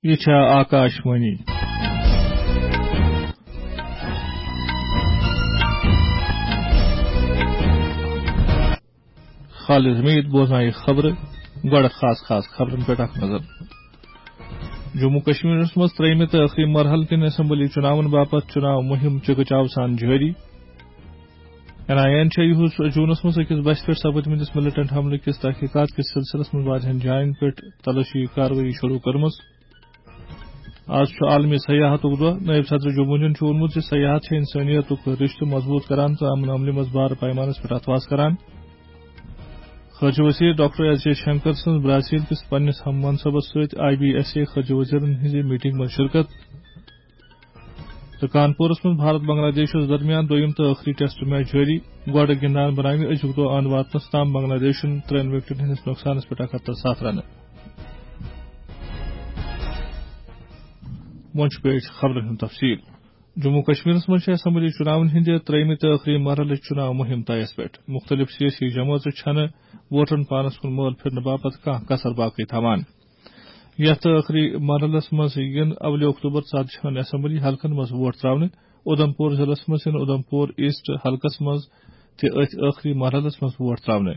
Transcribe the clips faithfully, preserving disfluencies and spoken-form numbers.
یہِ چھےٚ آکاش وانی۔ خالد حمید بوزنایہِ خبرٕ۔ گۄڈٕ خاص خاص خبرن پٮ۪ٹھ اکھ نظر۔ جموں کشمیرس منٛز ترٛیٚیمہِ تہٕ ٲخری مرحلہٕ کٮ۪ن اسمبلی چُناون باپتھ چُناو مُہِم چِکہٕ چاو سان جٲری۔ این آئی اے یَن چھےٚ یِہُس جوٗنَس منٛز أکِس بسہِ پٮ۪ٹھ سپٕدمٕتِس ملیٹنٹ حملہٕ کِس تحقیقات کِس سلسلس منٛز واریاہَن جاین پٮ۪ٹھ تلٲشی کاروٲیی شروٗع کٔرمٕژ۔ آز چھُ عالمی سیاحتُک دۄہ۔ نٲیِب صدر جمہوٗریہَن چھُ ووٚنمُت زِ سیاحت چھےٚ اِنسٲنیتُک رِشتہٕ مضبوٗط کران تہٕ امن عملہِ منٛز بارٕ پیمانس پٮ۪ٹھ اتھواس کران۔ خارجہ وزیر ڈاکٹر ایس جے شنکر سٕنٛز برازیل کِس پننِس ہم منصبس سۭتۍ آئی بی ایس اے خارجہ وزیرن ہٕنٛزِ میٹنگ منٛز شرکت۔ تہٕ کانپورس منٛز بھارت بنگلہ دیشس درمیان دوٚیِم تہٕ ٲخری ٹیسٹ میچ جٲری۔ گۄڈٕ گِنٛدان بناوِ أزیُک دۄہ اَنٛد واتنس تام بنگلہ دیشن ترٛٮ۪ن وِکٹن ہٕنٛدِس نۄقصانس پٮ۪ٹھ اکھ ہتھ تہٕ ستھ رنہٕ۔ وۄنۍ چھُ پیش خبرن ہُنٛد تفصیل۔ جموں کشمیرس منٛز چھِ اسمبلی چُناون ہٕنٛدِ ترٛیٚیمہِ تہٕ ٲخری مرحلٕچ چُناو مُہِم طیَس پٮ۪ٹھ۔ مُختٔلِف سیٲسی جمٲژٕ چھَنہٕ ووٹرن پانَس کُن مٲل پھِرنہٕ باپتھ کانٛہہ کسر باقٕے تھاوان۔ یَتھ ٲخری مرحلَس منٛز یِن اولہِ اکتوبر ژتجی ہن اسمبلی حلقن منٛز ووٹ ترٛاونہٕ۔ اُدھمپور ضلعس منٛز یِن اُدھمپور ایسٹ حلقس منٛز تہِ أتھۍ ٲخری مرحلَس منٛز ووٹ ترٛاونہٕ۔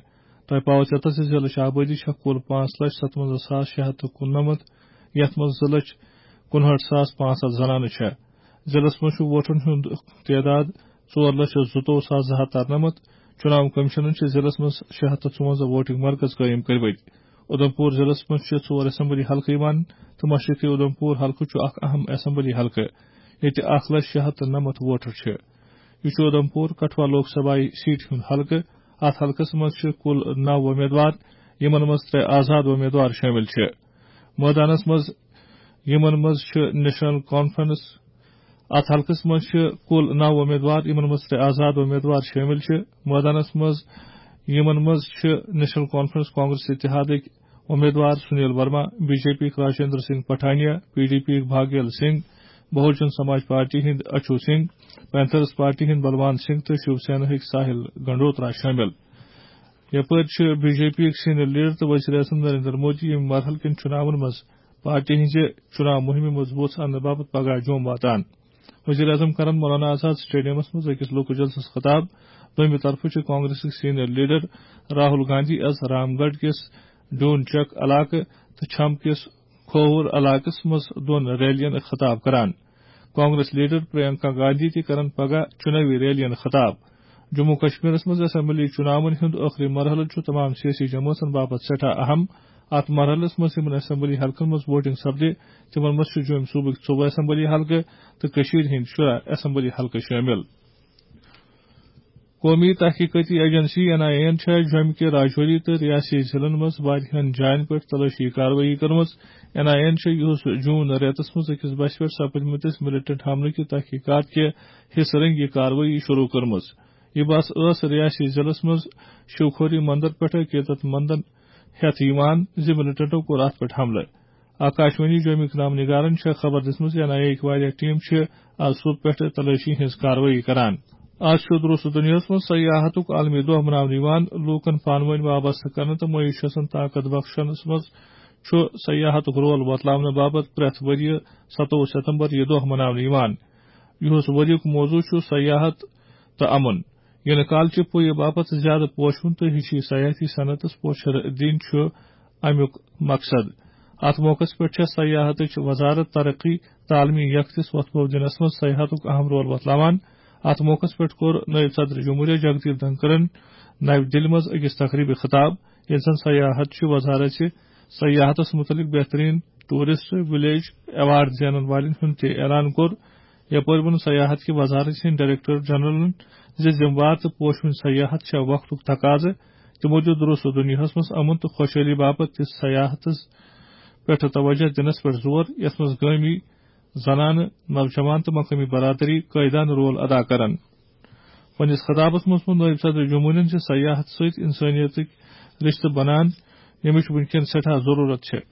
تۄہہِ پاوو ژےٚ تَس زِ ضلعٕچ آبٲدی چھےٚ کُل پانٛژھ لچھ ستوَنزاہ ساس شےٚ ہتھ تہٕ کُننَمتھ، یَتھ منٛز زٕ لچھ کُنہٲٹھ ساس پانٛژھ ہتھ زنانہٕ چھےٚ۔ ضلعس منٛز چھُ ووٹرن ہُنٛد تعداد ژور لچھ زٕتووُہ ساس زٕ ہتھ ترنَمتھ۔ چُناو کمیشنن چھِ ضلعس منٛز شےٚ ہتھ تہٕ ژُوَنزاہ ووٹنگ مرکز قٲیِم کٔرمٕتۍ۔ اُدھمپور ضلعس منٛز چھِ ژور اسمبلی حلقہٕ یِوان تہٕ مشرقی اُدھمپور حلقہٕ چھُ اکھ اہم اسمبلی حلقہٕ، ییٚتہِ اکھ لچھ شےٚ ہتھ تہٕ نَمَتھ ووٹر چھِ۔ یہِ چھُ اُدھمپور کٹھوا لوک سبھا سیٹہِ ہُنٛد حلقہٕ۔ اتھ حلقس منٛز چھِ کُل نَو وۄمیدوار، یِمن منٛز ترٛےٚ آزاد وۄمیدوار شٲمِل چھِ۔ مٲدانس منٛز، یِمن منٛز چھِ نیشنل کانفرنس، اتھ حلقس منٛز چھِ کُل نَو وۄمیدوار، یِمن منٛز ترٛےٚ آزاد وۄمیدوار شٲمِل چھِ۔ مٲدانس منٛز، یِمن منٛز چھِ نیشنل کانفرنس کانگریس اتحادٕکۍ وۄمیدوار Sunil Verma, B J P یِکۍ Rajinder Singh Pathania, P D P یِکۍ بھاگیل سنگھ، بہوجن سماج پارٹی ہٕنٛدۍ اچو سنگھ، پینتھرس پارٹی ہٕنٛدۍ بلوان سنگھ تہٕ شیو سینا ہٕکۍ ساحل گنڈوترا شٲمِل۔ یپٲرۍ چھِ بی جے پی یِکۍ سینئر لیڈر تہٕ وزیر اعظم نریندر مودی ییٚمہِ مرحلہٕ کٮ۪ن چُناون منٛز پارٹی ہٕنٛزِ چُناو مُہِمہِ مضبوٗط اننہٕ باپتھ پگاہ جوٚم واتان۔ وزیر اعظم کرن مولانا آزاد سٹیڈیمس منٛز أکِس لوکو جلسس خطاب۔ دوٚیمہِ طرفہٕ چھِ کانگریسٕکۍ سینئر لیڈر راہل گاندھی از رام گڑھ کِس ڈون چک علاقہٕ تہٕ چھم کِس کھووُر علاقس منٛز دۄن ریلین خطاب کران۔ کانگریس لیڈر پرینکا گاندھی تہِ کرن پگاہ چُنٲوی ریلین خطاب۔ جموں کشمیرس منٛز اسمبلی چُناون ہُنٛد ٲخری مرحلہٕ چھُ تمام سیٲسی جمٲژن باپتھ سٮ۪ٹھاہ اہم۔ اتھ مرحلس منٛز یِمن اسمبلی حلقن منٛز ووٹنگ سپدِ، تِمن منٛز چھِ جوٚمۍ صوبٕکۍ ژوٚوُہ اسمبلی حلقہٕ تہٕ کٔشیٖرِ ہٕنٛدۍ شُراہ اسمبلی حلقہٕ شٲمِل۔ قومی تحقیقاتی ایجنسی این آئی اے یَن چھےٚ جوٚمہِ کہِ راجوری تہٕ ریاستی ضلعن منٛز واریاہن جاین پٮ۪ٹھ تلٲشی کاروٲیی کٔرمٕژ۔ این آئی اے یَن چھےٚ یُہُس جون رٮ۪تس منٛز أکِس بسہِ پٮ۪ٹھ سپٕدمٕتِس ملیٹنٹ حملہٕ کہِ تحقیقات کہِ حصہٕ رنگی کاروٲیی شروع کٔرمٕژ۔ یہِ بس ٲس ریاستی ضلعس منٛز شیوکھوری مندر پٮ۪ٹھ عقیدت مندن ہٮ۪تھ یِوان زِ ملیٹنٹو کوٚر اتھ پٮ۪ٹھ حملہٕ۔ آکاشوانی جومِک نام نگارن چھےٚ خبر دِژمٕژ، این آئی اے یِکۍ واریاہ ٹیم چھِ از صبح پٮ۪ٹھٕ تلٲشی ہٕنٛز کاروٲیی کران۔ از چھُ درست دُنیاہَس منٛز سیاحتُک عالمی دۄہ مناونہٕ یِوان۔ لوٗکَن پانہٕ ؤنۍ وابستہٕ کرنہٕ تہٕ معیشتَن طاقت بخشنَس منٛز چھُ سیاحتُک رول وۄتلاونہٕ باپتھ پرٛٮ۪تھ ؤرۍ یہِ ستووُہ ستمبر یہِ دۄہ مناونہٕ یِوان۔ یُہُس ؤریُک موضوع چھُ سیاحت تہٕ امن۔ یِنہٕ کالچہِ پُیہِ باپتھ زیادٕ پوشہِ ہُنٛد تہٕ ہِشی سیاحتی صنعتَس پوچھر دِنۍ چھُ اَمیُک مقصد۔ اَتھ موقعَس پٮ۪ٹھ چھےٚ سیاحتٕچ وزارت ترقی تہٕ عالمی یکتِس وۄتھٕ بو دِنَس منٛز سیاحتُک اہم رول وۄتلاوان۔ اَتھ موقعَس پٮ۪ٹھ کوٚر نٲیِب صدر جمہوریہ جگدیپ دھنکرَن نَوِ دِلہِ منٛز أکِس تقریٖبہِ خطاب، ییٚلہِ زَن سیاحت چہِ وزارت چہِ سیاحتَس مُتعلِق بہتریٖن ٹوٗرسٹ ولیج ایوارڈ زینَن والٮ۪ن ہُنٛد تہِ اعلان کوٚر۔ یپٲرۍ ووٚن سیاحت کہِ وزارت ہٕنٛدۍ ڈائریکٹر جنرلن زِ ذمہٕ وار تہٕ پوشوٕنۍ سیاحت چھےٚ وقتُک تقاضہٕ۔ تِمو دیُت درست دُنیاہَس منٛز امن تہٕ خۄشحٲلی باپتھ تہِ سیاحتس پٮ۪ٹھ توجہ دِنس پٮ۪ٹھ زور، یَتھ منٛز گٲمی زنانہٕ، نوجوان تہٕ مقٲمی برادری قٲیدانہٕ رول ادا کرن۔ پننِس خطابس منٛز ووٚن نٲیِب صدر جمہوریہَن زِ سیاحت سۭتۍ انسٲنیتٕکۍ رشتہٕ بنان، ییٚمِچ وُنکٮ۪ن سٮ۪ٹھاہ ضروٗرت چھےٚ۔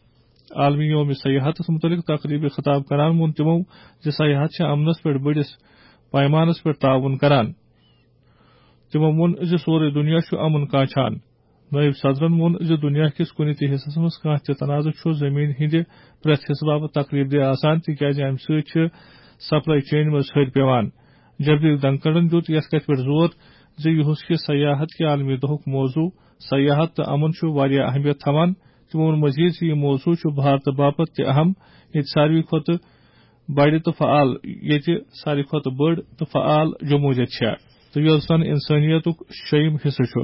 عالمی یوم سیاحتس مُتعلِق تقریٖبہِ خطاب کران ووٚن تِمو زِ سیاحت چھےٚ امنس پٮ۪ٹھ بٔڑِس پیمانس پٮ۪ٹھ تعاوُن کران۔ تِمو ووٚن زِ سورُے دُنیا چھُ امُن کانچھان۔ نٲیِب صدرَن ووٚن زِ دُنیا کِس کُنہِ تہِ حصس منٛز کانٛہہ تہِ تنازٕ چھُ زٔمیٖن ہٕنٛدِ پرٛٮ۪تھ حصہٕ باپتھ تکلیف دہ آسان، تِکیازِ اَمہِ سۭتۍ چھِ سپلائی چینہِ منٛز ہرۍ پٮ۪وان۔ جگدیپ دھنکڑَن دیُت یَتھ کَتھِ پٮ۪ٹھ زور زِ یُہُس کہِ سیاحت کہِ عالمی دۄہُک موضوع سیاحت تہٕ امن چھُ واریاہ اہمیت تھاوان۔ تِمو ووٚن مزید زِ یہِ موضوع چھُ بھارتہٕ باپتھ تہِ اہم، ییٚتہِ ساروی کھۄتہٕ بڑِ تہٕ فعال، ییٚتہِ ساروی کھۄتہٕ بٔڑ تہٕ فعال جمہوٗریت چھےٚ تہٕ یۄس زن انسٲنیتُک شیٚیِم حصہٕ چھُ۔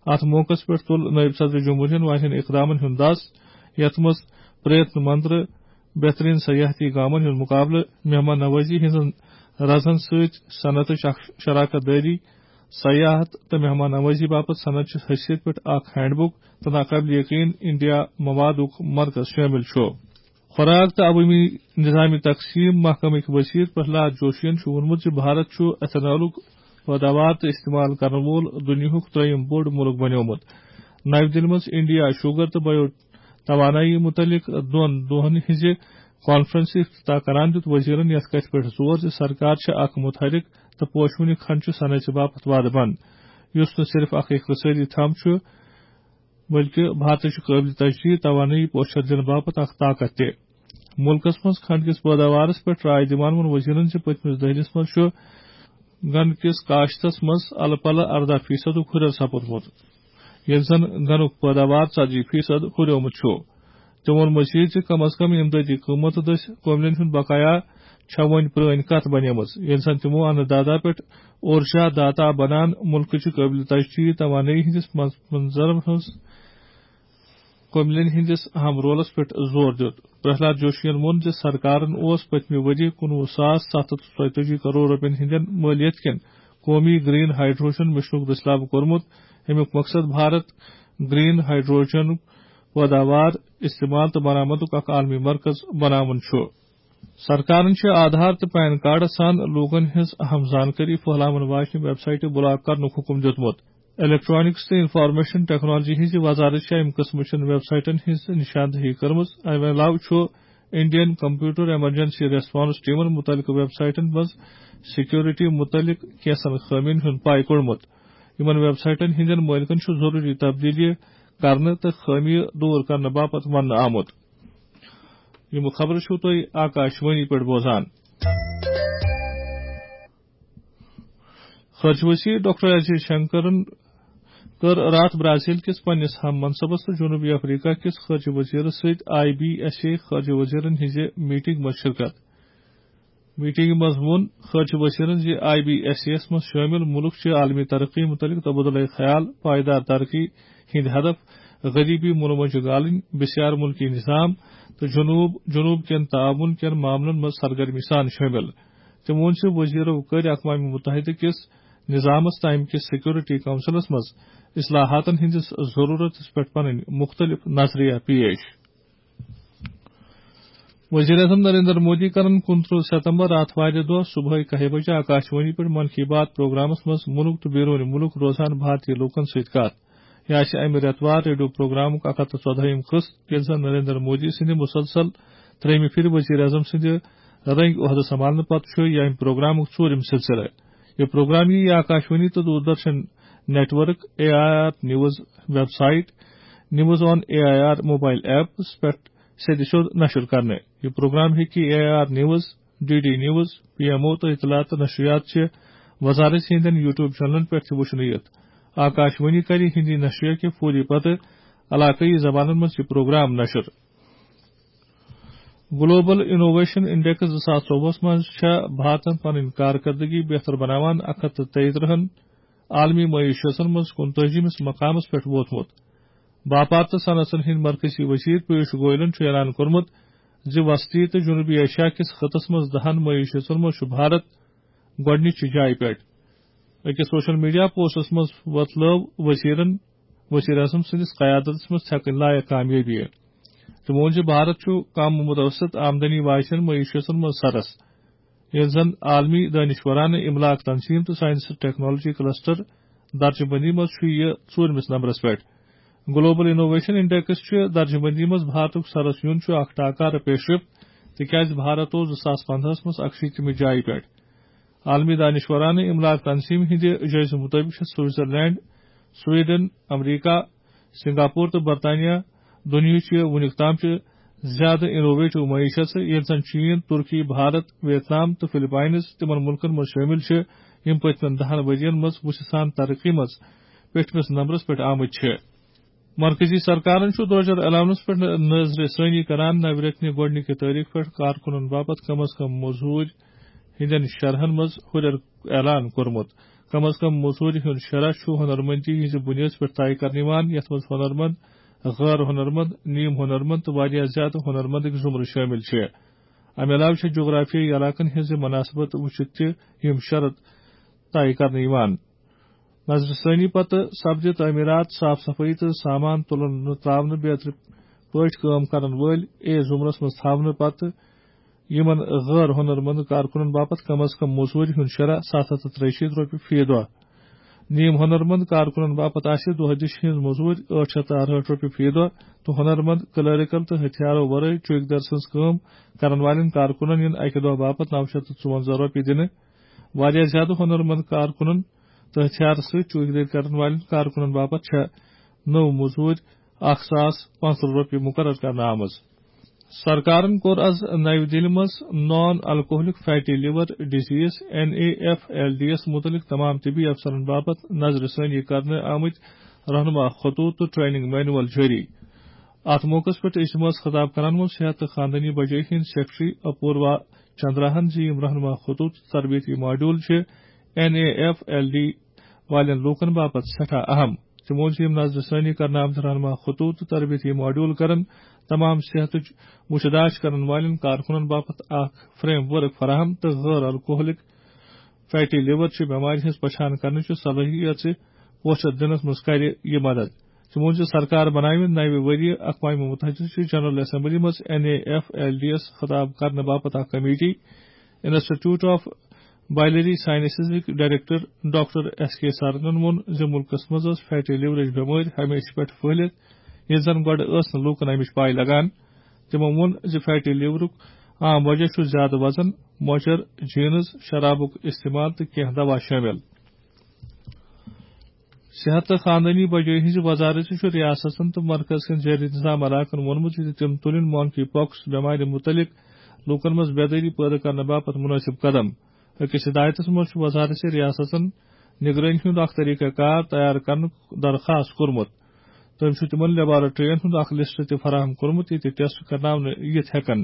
اتھ موقعس پٮ۪ٹھ تُل نٲیِب صدر جمہوریہن واریاہن اقدامن ہُنٛد دس، یتھ منٛز پریتن منتر، بہترین سیاحتی گامن ہُنٛد مقابلہٕ، مہمان نوازی ہٕنٛزن رزن سۭتۍ صنعتٕچ اکھ شراکت دٲری، سیاحت تہٕ مہمان نوازی باپتھ صنعت چہِ حیثیت پٮ۪ٹھ اکھ ہینڈ بک تہٕ ناقابل یقین انڈیا موادُک مرکز شٲمِل چھُ۔ خوراک تہٕ عوٲمی نظام تقسیم محکمٕکۍ وزیر پرہلاد جوشین چھُ ووٚنمُت زِ بھارت چھُ ایتھنالُک پٲداوار تہٕ استعمال کرن وول دُنیاہُک ترٛیٚیِم بوٚڑ مُلک بنیومُت۔ نَوِ دِلہِ منٛز انڈیا شوگر تہٕ بایو توانٲیی مُتعلق دۄن دۄہَن ہٕنٛزِ کانفرنسہِ افتتاح کران دیُت وزیرن یَتھ کَتھِ پٮ۪ٹھ زور زِ سرکار چھِ اکھ متحرک تہٕ پوشوٕنہِ کھنڈ چھُ صنعتہِ باپتھ وعدٕ بنٛد، یُس نہٕ صرف اکھ اقتصٲدی تھم چھُ، بلکہِ بھارتٕچ قٲبلِ تجدید توانٲیی پوچھر دِنہٕ باپتھ اکھ طاقت تہِ۔ مُلکَس منٛز کھنڈ کِس پٲداوارَس پٮ۪ٹھ راے دِوان ووٚن وزیرن زِ پٔتمِس دٔہلِس منٛز چھُ گنڈٕ کِس کاشتَس منٛز الہٕ پلہٕ اَرداہ فیصدُک ہُرٮ۪ر سپُدمُت، ییٚلہِ زن گنُک پٲداوار ژتجی فیصد ہُریومُت چھُ۔ تٔمۍ ووٚن مزید زِ کم از کم امدادی قۭمت دٔسۍ کٔملین ہُنٛد بقایا چھےٚ وۄنۍ پرٲنۍ کتھ بنیمٕژ، ییٚلہِ زن تِمو اَنہٕ داتا پٮ۪ٹھ اورجا داتا بنان مُلکٕچہِ قٲبلِ تجدید توانٲیی ہٕنٛدِس منظ-، منظرن ہٕنٛز کٔملین ہٕنٛدِس اہم رولس پٮ۪ٹھ زور دیُت۔ پرہلاد جوشین ووٚن زِ سرکارن اوس پٔتمہِ ؤرۍ یہِ کُنوُہ ساس ستھ ہتھ ژۄیتٲجی کرور رۄپین ہٕنٛدٮ۪ن مٲلیت کٮ۪ن قومی گرین ہائیڈروجن مشنُک دٔسلابہٕ کوٚرمُت۔ اَمیُک مقصد بھارت گرین ہائیڈروجنُک پٲداوار، استعمال تہٕ برآمدُک اکھ عالمی مرکز بناوُن چھُ۔ سرکارن چھِ آدھار تہٕ پین کارڈس سان لوٗکن ہٕنٛز اہم زانکٲری پھٔہلاون واجنہِ ویب سایٹہٕ بلاک کرنُک حُکم دیُتمُت۔ الیکٹرانکس تہٕ انفارمیشن ٹیکنالوجی ہٕنٛزِ وزارت چھےٚ اَمہِ قٕسمٕچن ویب سایٹن ہٕنٛز نشاندہی کٔرمٕژ۔ اَمہِ علاوٕ چھُ انڈین کمپیوٹر ایمرجنسی ریسپانس ٹیمن مُتعلقہٕ ویب سایٹن منٛز سیکیورٹی مُتعلق کینٛژن خٲمین ہُنٛد پاے کوٚڑمُت۔ یِمن ویب سایٹن ہٕنٛدٮ۪ن مٲلکن چھُ ضروٗری تبدیلی کرنہٕ تہٕ خٲمیہِ دوٗر کرنہٕ باپتھ وننہٕ آمُت۔ یِم خبرٕ چھِو تُہۍ آکاش وانی پٮ۪ٹھ بوزان۔ خارجہ وزیر ڈاکٹر ایس جے شنکرن کٔر راتھ برازیل کِس پننِس ہم منصبس تہٕ جنوبی افریقہ کِس خارجہ وزیرس سۭتۍ آئی بی ایس اے خارجہ وزیرن ہٕنٛزِ میٹنگ منٛز شرکت۔ میٹنگہِ منٛز ووٚن خارجہ وزیرن زِ آئی بی ایس اے یَس منٛز شٲمِل مُلک چھِ عالمی ترقی مُتعلق تبادلہ خیال، پائیدار ترقی ہٕنٛدۍ ہدف، غریبی مُلہٕ مۄنجہِ گالٕنۍ، بسیار مُلکی نظام تہٕ جنوب، جنوب کٮ۪ن تعاون کٮ۪ن معاملن منٛز سرگرمی سان شٲمِل۔ تٔمۍ ووٚن زِ وزیرو کٔرۍ اقوام متحدہ کِس نظامس تہٕ امہِ کِس سیکورٹی کونسلس منٛز اصلاحاتن ہٕنٛدِس ضروٗرتس پٮ۪ٹھ پنٕنۍ مُختٔلِف نظریہ پیش۔ وزیر اعظم نریندر مودی کرن کُنترٕہ ستمبر آتھوارِ دۄہ صبحٲے کاہہِ بجہِ آکاش وانی پٮ۪ٹھ من کی بات پروگرامس منٛز مُلک تہٕ بیروٗنی مُلک روزان بھارتی لوٗکن سۭتۍ کتھ۔ یہِ آسہِ امہِ رٮ۪تہٕ وار ریڈیو پروگرامُک اکھ ہتھ تہٕ ژۄدہٲیِم قٕسط، ییٚلہِ زن نریندر مودی سٕنٛدِ مسلسل ترٛیٚیِمہِ پھِرِ وزیر اعظم سٕنٛدِ رٔنگۍ عہدٕ سنبھالنہٕ پتہٕ چھُ یہِ امہِ پروگرامُک ژوٗرِم سلسلہٕ۔ یہِ پروگرام یِیہِ آکاش وانی تہٕ Doordarshan network, A I R news website, news on A I R mobile apps پٮ۪ٹھ سیٚدِ سیوٚد نشر کرنہٕ۔ یہِ پروگرام ہیٚکہِ A I R news, D D news, P M O تہٕ اطلاعات تہٕ نشریات چہِ وزارت ہٕنٛدٮ۪ن یوٹیوب چینلن پٮ۪ٹھ تہِ وُچھنہٕ یِتھ۔ آکاش وانی کرِ ہندی نشریہ کہِ فوری پتہٕ علاقٲیی زبانن منٛز یہِ پروگرام نشر۔ گلوبل انوویشن انڈیکس زٕ ساس ژوٚوُہس منٛز چھےٚ بھارتن پنٕنۍ کارکردگی بہتر بناوان اکھ ہتھ تہٕ تیٚیہِ ترٕہن عالمی معیشتن منٛز کُنتٲجِمِس مقامس پٮ۪ٹھ ووتمُت۔ باپار تہٕ صنعتن ہٕنٛدۍ مرکزی وزیر پیوش گوئلن چھُ اعلان کوٚرمُت زِ وسطی تہٕ جنوبی ایشیا کِس خطس منٛز دَہن معیشتن منٛز چھُ بھارت گۄڈٕنِچہِ جایہِ پٮ۪ٹھ۔ أکِس سوشل میڈیا پوسٹس منٛز وۄتلٲو وزیرن وزیر اعظم سٕنٛدِس قیادتس منٛز چھکٕنۍ لایق کامیٲبی۔ تٔمۍ ووٚن زِ بھارت چھُ کم متوسط آمدنی واجٮ۪ن معیشتن منٛز سرس، ییٚلہِ زن عالمی دانشورانہٕ املاک تنظیم تہٕ سائنس تہٕ ٹیکنالوجی کلسٹر درجہٕ بندی منٛز چھُ یہِ ژوٗرمِس نمبرس پٮ۪ٹھ۔ گلوبل انوویشن انڈیکس چھُ درجہٕ بندی منٛز بھارتُک سرس یُن چھُ اکھ ٹاکارٕ پیشرفت، تِکیازِ بھارت اوس زٕ ساس پندہس منٛز اکشیٖتمہِ جایہِ پٮ۪ٹھ۔ عالمی دانشورانہٕ املاک تنظیم ہٕنٛدِ جٲیزٕ مُطٲبِق چھِ سوئٹزرلینڈ، سویڈن، امریکہ، سنگاپور تہٕ برطانیہ دُنیاہٕچ چھِ وُنیُک تام چھِ زیادٕ انوویٹو معیشت، ییٚلہِ زن چین، ترکی، بھارت، ویتنام تہٕ فلپائنز تِمن مُلکن منٛز شٲمِل چھِ، یِم پٔتمٮ۪ن دَہن ؤرین منٛز وُژھِ سان ترقی منٛز پٮ۪ٹھمِس نمبرس پٮ۪ٹھ آمٕتۍ چھِ۔ مرکزی سرکارن چھُ درٛۄجر اعلانس پٮ۪ٹھ نظرِ ثٲنی کران۔ نوِ رٮ۪تہٕ نہِ گۄڈٕنِکہِ تٲریخ پٮ۪ٹھ کارکُنن باپتھ کم از کم موٚزوٗرۍ ہٕنٛدٮ۪ن شرحن منٛز ہُرٮ۪ر اعلان کوٚرمُت۔ کم از کم موٚزوٗرۍ ہُنٛد شرح چھُ ہُنرمندی ہٕنٛزِ بُنیٲدۍ پٮ۪ٹھ طے کرنہٕ یِوان، یَتھ منٛز ہُنرمند، غٲر ہُنرمند، نیم ہُنرمند تہٕ واریاہ زیادٕ ہُنرمندٕکۍ زُمرٕ شٲمِل چھِ۔ اَمہِ علاوٕ چھِ جغرافیٲیی علاقن ہٕنٛزِ مناسبت وٕچھِتھ تہِ یِم شرط طے کرنہٕ یِوان۔ نظرِ ثٲنی پتہٕ سپدِ تعمیرات، صاف صفٲیی تہٕ سامان تُلن نہٕ تراونہٕ بیترِ پٲٹھۍ کٲم کرن وٲلۍ اے زُمرس منٛز تھاونہٕ پتہٕ یِمن غٲر ہُنرمند کارکُنن باپتھ کم از کم موٚزوٗرۍ ہُنٛد شرح ستھ ہتھ تہٕ ترٛیہِ شیٖتھ رۄپیہِ فی دۄہ۔ نیم ہُنرمند کارکُنن باپتھ آسہِ دۄہ دِش ہٕنٛز موٚزوٗرۍ ٲٹھ شیٚتھ تہٕ اَرہٲٹھ رۄپیہِ فی دۄہ تہٕ ہُنرمند، کلیریکل تہٕ ہتھیارو ورٲے چوکیدار سٕنٛز کٲم کرن والٮ۪ن کارکُنن یِن اَکہِ دۄہ باپتھ نَو شیٚتھ تہٕ ژُوَنزاہ رۄپیہِ دِنہٕ۔ واریاہ زیادٕ ہُنرمند کارکُنن تہٕ ہتھیارٕ سۭتۍ چوکیدٲری کرن والٮ۪ن کارکُنن باپتھ چھےٚ نٔو موٚزوٗرۍ اکھ ساس پانٛژترٕٛہ رۄپیہِ مُقرر کرنہٕ آمٕژ۔ سرکارن کوٚر از نَوِ دِلہِ منٛز non alcoholic fatty liver disease, N A F L D یس مُتعلق تمام طبی افسرن باپتھ نظرِ ثٲنی کرنہٕ آمٕتۍ رہنما خطوط تہٕ ٹریننگ مینول جٲری۔ اتھ موقعس پٮ۪ٹھ اجتماعس خطاب کران ووٚن صحت تہٕ خاندٲنی بجٲیی ہٕنٛدۍ سیکرٹری اپوروا چندراہن زِ یِم رہنما خطوط تہٕ تربیتی ماڈیول چھِ N A F L D والٮ۪ن لوٗکن باپتھ سٮ۪ٹھاہ اہم۔ تِمو ووٚن زِ یِم نظرِ ثٲنی کرنہٕ آمٕتۍ رہنما خطوط تہٕ تربیتی ماڈیول کرن تمام صحتٕچ وُچھ داچھ کرن والٮ۪ن کارکُنن باپتھ اکھ فریم ورک فراہم تہٕ غٲر الکوہلک فیٹی لیور چہِ بٮ۪مارِ ہٕنٛز پہچان کرنٕچہِ صلٲحیژِ پوچھر دِنس منٛز کرِ یہِ مدد۔ تِمو ووٚن زِ سرکار بناوِ نَوِ ؤرۍ یہِ اقوام متحدہ چہِ جنرل اسمبلی منٛز N A F L D یس خطاب کرنہٕ باپتھ اکھ کمیٹی۔ انسٹیٹیوٹ آف بائلری سائنسزٕکۍ ڈائریکٹر ڈاکٹر ایس کے سارنن ووٚن زِ مُلکَس منٛز ٲس فیٹی لیورٕچ بٮ۪مٲرۍ ہمیشہٕ پٮ۪ٹھ پھٔہلِتھ، ییٚلہِ زَن گۄڈٕ ٲس نہٕ لوٗکَن اَمِچ پَے لَگان۔ تِمو ووٚن زِ فیٹی لیورُک عام وجہ چھُ زیادٕ وزن، مۄچر، جینز، شرابُک استعمال تہٕ کینٛہہ دوا شٲمِل۔ صحت تہٕ خاندٲنی بجٲیی ہٕنٛزِ وزارتہِ چھُ ریاستن تہٕ مرکز کٮ۪ن زیر انتظام علاقن ووٚنمُت زِ تِم تُلِن مونکی پاکس بٮ۪مارِ مُتعلق لوٗکن منٛز بیدٲری پٲدٕ کرنہٕ باپتھ مُنٲسِب قدم۔ أکِس ہدایتس منٛز چھُ وزارت ریاستن نگرٲنی ہُنٛد اکھ طریقہ کار تیار کرنُک درخاست کوٚرمُت۔ تٔمۍ چھُ تِمن لیبارٹرین ہُنٛد اکھ لسٹ تہِ فراہم کوٚرمُت، ییٚتہِ ٹیسٹ کرناونہٕ یِتھ ہٮ۪کن۔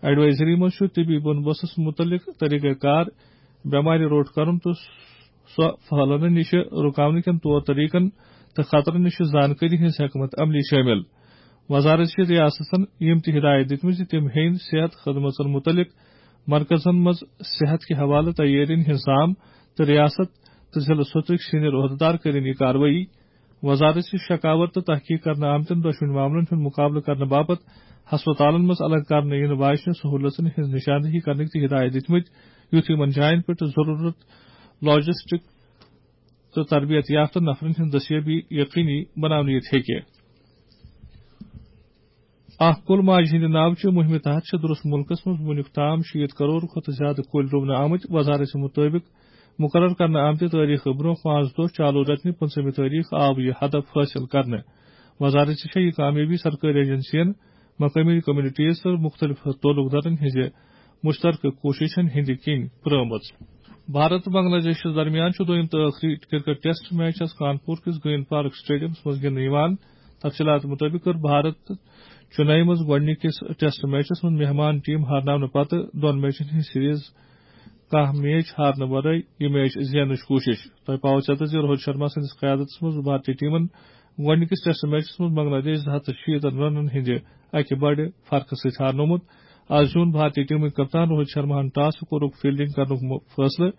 ایڈوائزری منٛز چھُ طبی بندوبستس مُتعلق طریقہ کار، بٮ۪مارِ روٚٹ کرُن تہٕ سۄ پھٔہلنہٕ نِش رُکاونہٕ کٮ۪ن طور طریقن تہٕ خطرن نِش زانکٲری ہٕنٛز حکمت عملی شٲمِل۔ وزارت چھِ ریاستن یِم تہِ ہدایت دِتمٕتۍ زِ تِم ہیٚن صحت خدمژن مُتعلق مرکزن منٛز صحت کہِ حوالہٕ تیٲرین ہٕنٛز سام تہٕ ریاست تہٕ ضلعہٕ سطحٕکۍ سینئر عہدٕدار کٔرِن یہِ کاروٲیی۔ وزارت چھِ شکاور تہٕ تحقیق کرنہٕ آمتٮ۪ن دۄشوٕنی معاملن ہُنٛد مُقابلہٕ کرنہٕ باپتھ ہسپتالن منٛز الگ کرنہٕ یِنہٕ واجنہِ سہوٗلژن ہٕنٛز نشاندہی کرنٕکۍ تہِ ہدایت دِتمٕتۍ، یُتھ یِمن جاین پٮ۪ٹھ ضروٗرت لاجسٹک تہٕ تربیت یافتہٕ نفرن ہٕنٛز دستیٲبی یقینی بناونہٕ یِتھ ہیٚکہِ۔ اکھ کُل ماجہِ ہٕنٛدِ ناوٕ چہِ مُہِمہِ تحت چھِ درست مُلکَس منٛز وُنیُک تام شیٖتھ کرور کھۄتہٕ زِیٛادٕ کُلۍ رُونہٕ آمٕتۍ۔ وزارت مُطٲبِق مُقرر کرنہٕ آمتہِ تٲریخہٕ برٛونٛہہ پانٛژھ دۄہ چالوٗ رٮ۪تہٕ نہِ پٕنٛژٕہمہِ تٲریخ آو یہِ ہدف حٲصِل کرنہٕ۔ وزارت چھےٚ یہِ کامیٲبی سرکٲرۍ ایجنسین، مقٲمی کمیونٹیز تہٕ مُختٔلِف تعلق دارن ہٕنٛزِ مُشترکہٕ کوٗششن ہٕنٛدِ کِنۍ پرٛٲومٕژ۔ بھارت تہٕ بنگلہ دیشس درمیان چھُ دوٚیُم تہٕ ٲخری کرکٹ ٹیسٹ میچ آز کانپور کِس گرین پارک اسٹیڈیمس منٛز گِنٛدنہٕ یِوان۔ تفصیلات مُطٲبِق کٔر بھارت چنئی منٛز گۄڈٕنِکِس ٹیسٹ میچس منٛز مہمان ٹیم ہارناونہٕ پتہٕ دۄن میچن ہٕنٛز سیریز کانٛہہ میچ ہارنہٕ ورٲے یہِ میچ زیننٕچ کوٗشش۔ تۄہہِ پاوٕ ژیتر زِ روہت شرما سٕنٛدِس قیادتس منٛز بھارتی ٹیمن گۄڈٕنِکِس ٹیسٹ میچس منٛز بنگلہ دیش زٕ ہتھ تہٕ شیٖتن رنن ہٕنٛدِ اکہِ بڑِ فرقہٕ سۭتۍ ہارنومُت۔ آز زیوٗن بھارتی ٹیمٕکۍ کپتان روہت شرماہن ٹاس تہٕ کوٚرُکھ فیلڈنگ کرنُک م-، فٲصلہٕ۔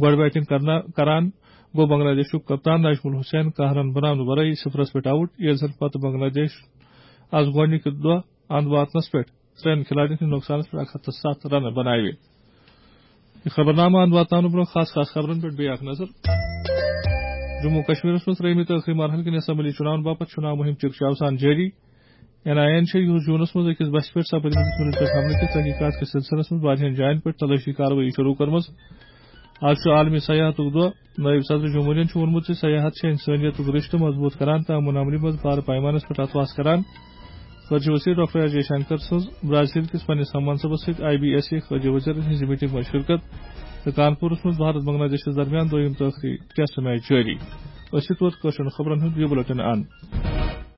گۄڈٕ بیٹنگ کرنا-، کران گوٚو بنگلہ دیشُک کپتان ناجمُل حسین کاہ رن بناونہٕ ورٲے صفرس پٮ۪ٹھ آوُٹ، ییٚلہِ زن پتہٕ بنگلہ دیش آز گۄڈٕنِکہِ دۄہ اند واتنس پٮ۪ٹھ ترٛٮ۪ن کھلاڑین ہٕنٛدِ نۄقصانس پٮ۪ٹھ اکھ ہتھ تہٕ ستھ رنہٕ بناوِ۔ یہِ خبرنامہٕ اند واتناونہٕ برٛونٛہہ خاص خاص خبرن پٮ۪ٹھ بیٚیہِ اکھ نظر۔ جموں و کشمیرس منٛز ترٛیٚیمہِ تہٕ ٲخری مرحلہٕ کِنۍ اسمبلی چُناون باپتھ چُناو مُہِم چِکہٕ چاوسان جٲری۔ این آئی اے یَن چھےٚ یُہُس جوٗنَس منٛز أکِس بسہِ پٮ۪ٹھ سپٕدمٕتِس مُلکَس حملہٕ کِس تحقیٖقات کِس سلسلس منٛز واریاہَن جایَن پٮ۪ٹھ تلٲشی کاروٲیی شروٗع کٔرمٕژ۔ آز چھُ عالمی سیاحتُک دۄہ۔ نٲیِب صدر جمہوریہن چھُ ووٚنمُت زِ سیاحت چھِ انسٲنیتُک رشتہٕ مضبوٗط کران تہٕ امن امنی منٛز بارٕ پیمانس پٮ۪ٹھ اتھواس کران۔ خارجہ وزیر ڈاکٹر ایس جے شنکر سٕنٛز برازیل کِس پننِس ہم منصبس سۭتۍ آئی بی ایس اے خارجہ وزیرن ہٕنٛزِ میٹنگ منٛز شرکت تہٕ کانپورس منٛز بھارت بنگلہ دیشس درمیان دوٚیِم تہٕ ٲخری ٹیسٹ میچ جٲری۔ أسۍ چھِ توتہِ کٲشرٮ۪ن خبرن ہُنٛد یہِ بُلٹن اند۔